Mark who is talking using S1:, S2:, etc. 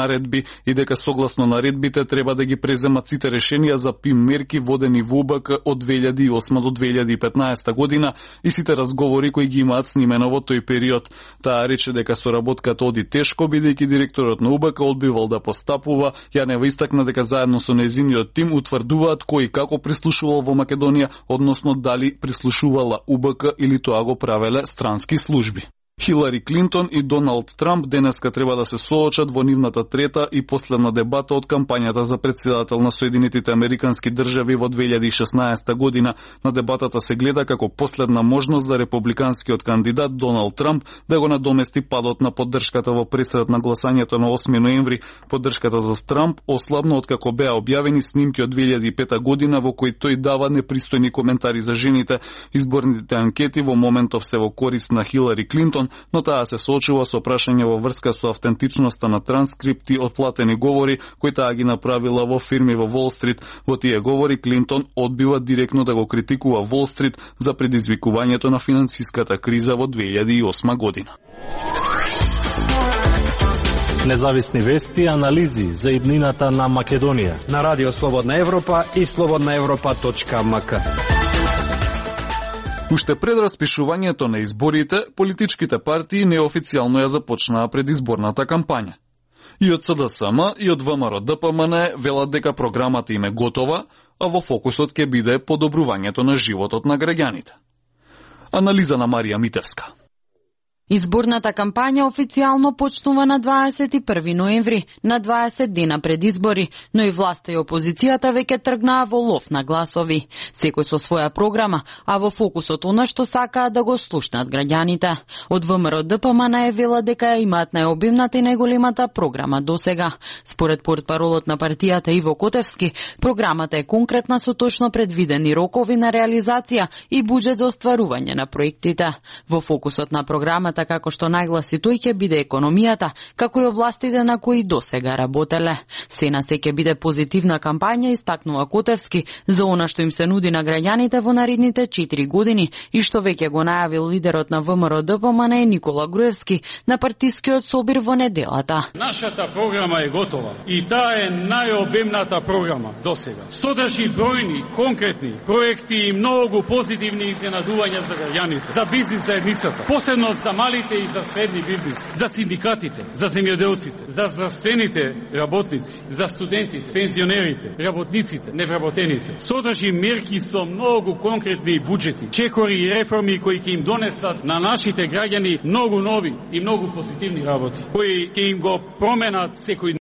S1: наредби и дека согласно наредбите треба да ги преземат сите решенија за ПИМ мерки водени во УБК од 2008 до 2015 година и сите разговори кои ги имаат снимено во тој период. Таа рече дека соработката оди тешко, бидејќи директорот на УБК одбивал да постапува. Јанева истакна дека заедно со нејзиниот тим утврдуваат кој и како прислушувал во Македонија, односно дали прислушувала УБК или тоа го правеле странски служби. Хилари Клинтон и Доналд Трамп денеска треба да се соочат во нивната трета и последна дебата од кампањата за претседател на Соединетите Американски држави во 2016 година. На дебатата се гледа како последна можност за републиканскиот кандидат Доналд Трамп да го надомести падот на поддршката во пресред на гласањето на 8 ноември. Поддршката за Трамп ослабна откако беа објавени снимки од 2005 година во кои тој дава непристојни коментари за жените. Изборните анкети во моментов се во корист на Хилари Клинтон, но таа се соочува со прашање во врска со автентичноста на транскрипти од платени говори кои таа ги направила во фирми во Wall Street. Во тие говори Клинтон одбива директно да го критикува Wall Street за предизвикувањето на финансиската криза во 2008 година.
S2: Независни вести и анализи за иднината на Македонија
S3: на Радио Слободна Европа и slobodnaevropa.mk.
S1: Уште пред распишувањето на изборите, политичките партии неофицијално ја започнаа предизборната кампања. И од СДСМ и од ВМРО-ДПМН велат дека програмата им е готова, а во фокусот ќе биде подобрувањето на животот на граѓаните. Анализа на Марија Митевска.
S4: Изборната кампања официјално почнува на 21 ноември, на 20 дена пред избори, но и власта и опозицијата веќе тргнаа во лов на гласови. Секој со своја програма, а во фокусот она што сакаат да го слушнат граѓаните. Од ВМРО-ДПМН вела дека ја имаат најобимната и најголемата програма досега. Според портпаролот на партијата Иво Котевски, програмата е конкретна со точно предвидени рокови на реализација и буџет за остварување на проектите. Во фокусот на програмата, како што нагласи тој, ќе биде економијата, како и областите на кои досега работеле. Се на се ќе биде позитивна кампања, истакнува Котевски, за она што им се нуди на граѓаните во наредните 4 години и што веќе го најавил лидерот на ВМРО-ДПМН Никола Груевски на партискиот собир во неделата.
S5: Нашата програма е готова и таа е најобемната програма досега. Содржи бројни, конкретни проекти и многу позитивни изненадувања за граѓаните, за бизнис заедницата, посебно за малите и за средни бизнис, за синдикатите, за земјоделците, за здравствените работници, за студентите, пензионерите, работниците, невработените. Содржи мерки со многу конкретни буџети, чекори и реформи кои ќе им донесат на нашите граѓани многу нови и многу позитивни работи, кои ќе им го променат секој